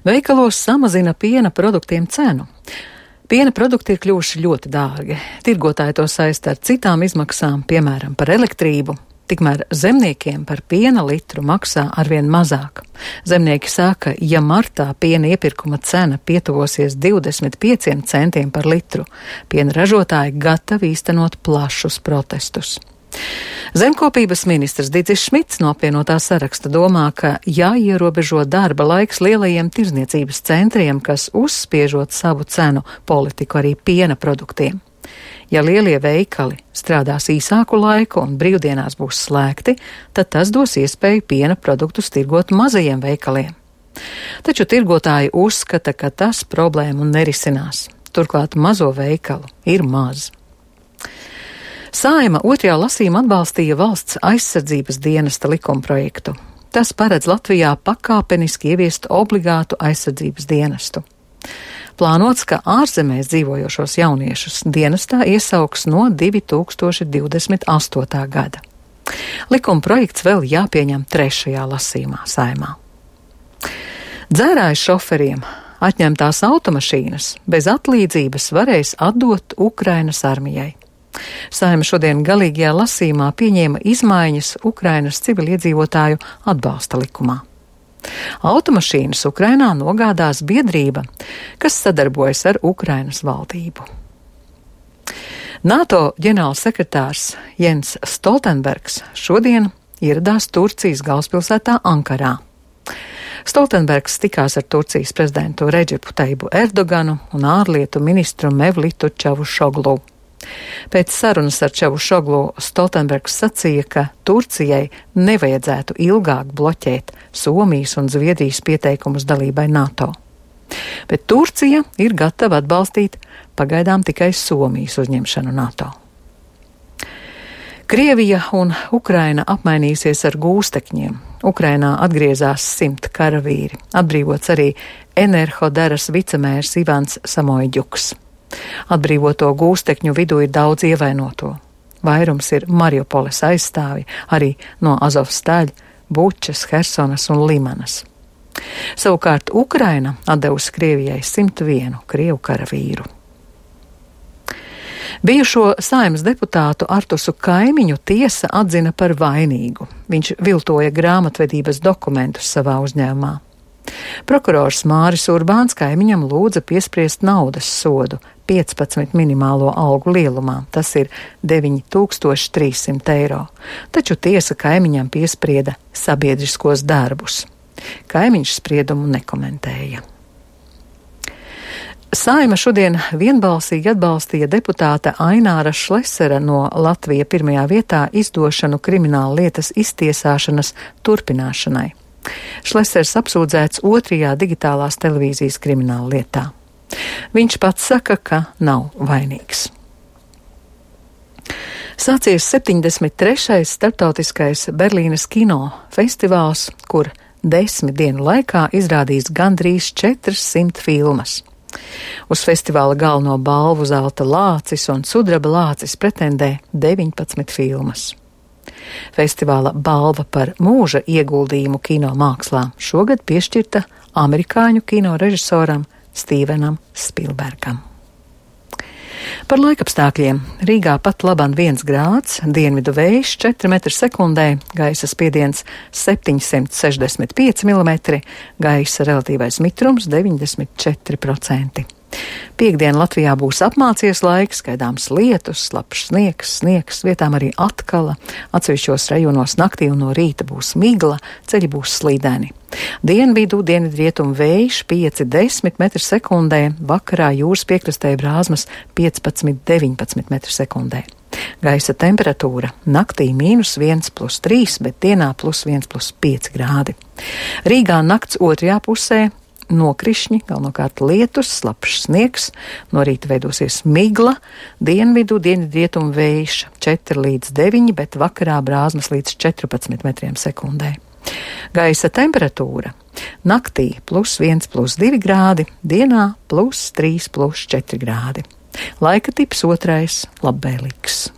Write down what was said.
Veikalos samazina piena produktiem cenu. Piena produkti ir kļuvuši ļoti dārgi. Tirgotāji to saista ar citām izmaksām, piemēram, par elektrību. Tikmēr zemniekiem par piena litru maksā arvien mazāk. Zemnieki saka, ja martā piena iepirkuma cena pietuvosies 25 centiem par litru, piena ražotāji gatavi īstenot plašus protestus. Zemkopības ministrs Didzis Šmits no apvienotā saraksta domā, ka jāierobežo darba laiks lielajiem tirzniecības centriem, kas uzspiežot savu cenu politiku arī piena produktiem. Ja lielie veikali strādās īsāku laiku un brīvdienās būs slēgti, tad tas dos iespēju piena produktus tirgot mazajiem veikaliem. Taču tirgotāji uzskata, ka tas problēmu nerisinās. Turklāt mazo veikalu ir maz. Saeima otrajā lasījumā atbalstīja valsts aizsardzības dienesta likumprojektu. Tas paredz Latvijā pakāpeniski ieviest obligātu aizsardzības dienestu. Plānots, ka ārzemēs dzīvojošos jauniešus dienestā iesauks no 2028. gada. Likumprojekts vēl jāpieņem trešajā lasījumā Saeimā. Dzērāju šoferiem atņemtās automašīnas bez atlīdzības varēs atdot Ukrainas armijai. Saeima šodien galīgajā lasījumā pieņēma izmaiņas Ukrainas civiliedzīvotāju atbalsta likumā. Automašīnas Ukrainā nogādās biedrība, kas sadarbojas ar Ukrainas valdību. NATO ģenerālsekretārs Jens Stoltenbergs šodien ieradās Turcijas galvaspilsētā Ankarā. Stoltenbergs tikās ar Turcijas prezidentu Redžepu Taibu Erdoganu un ārlietu ministru Mevlitu Čavušoglu. Pēc sarunas ar Čavušoglu Stoltenbergs sacīja, ka Turcijai nevajadzētu ilgāk bloķēt Somijas un Zviedrijas pieteikumus dalībai NATO. Bet Turcija ir gatava atbalstīt pagaidām tikai Somijas uzņemšanu NATO. Krievija un Ukraina apmainīsies ar gūstekņiem. Ukrainā atgriezās 100 karavīri, atbrīvots arī Enerhodaras vicemērs Ivans Samoļģuks. Atbrīvoto gūstekņu vidū ir daudz ievainoto. Vairums ir Mariupoles aizstāvi, arī no Azovstaļa, Bučas, Hersonas un Limanas. Savukārt Ukraina atdevusi Krievijai 101 krievu karavīru. Bijušo Saeimas deputātu Artusu Kaimiņu tiesa atzina par vainīgu. Viņš viltoja grāmatvedības dokumentus savā uzņēmumā. Prokurors Māris Urbāns Kaimiņam lūdza piespriest naudas sodu 15 minimālo algu lielumā, tas ir 9300 eiro, taču tiesa Kaimiņam piesprieda sabiedriskos darbus. Kaimiņš spriedumu nekomentēja. Saeima šodien vienbalsīgi atbalstīja deputāta Aināra Šlesera no Latvija pirmajā vietā izdošanu krimināla lietas iztiesāšanas turpināšanai. Šlesers apsūdzēts otrajā digitālās televīzijas krimināla lietā. Viņš pats saka, ka nav vainīgs. Sācies 73. starptautiskais Berlīnes kino festivāls, kur 10 dienu laikā izrādīs gandrīz 400 filmas. Uz festivāla galveno balvu zelta lācis un sudraba lācis pretendē 19 filmas. Festivāla balva par mūža ieguldījumu kino mākslā šogad piešķirta amerikāņu kino režisoram Stevenam Spielbergam. Par laikapstākļiem. Rīgā pat laban 1 grāds, dienvidu vējš 4 metri sekundē, gaisa spiediens 765 mm, gaisa relatīvais mitrums 94%. Piektdien Latvijā būs apmācies laiks, gaidāms lietus, slapjš sniegs, vietām arī atkala, atsevišķos rajonos naktī un no rīta būs migla, ceļi būs slīdeni. Dienvidu, dienvidrietumu vējš 5–10 metri sekundē, vakarā jūras piekrastē brāzmas 15–19 metri sekundē. Gaisa temperatūra naktī -1+3, bet dienā +1+5 grādi. Rīgā nakts otrajā pusē nokrišņi, galvenokārt lietus, slapjš sniegs, no rīta veidosies migla, dienvidu, dienvidrietumu vējš 4–9, bet vakarā brāzmas līdz 14 metriem sekundē. Gaisa temperatūra naktī +1+2 grādi, dienā +3+4 grādi. Laika tips otrais labvēlīgs.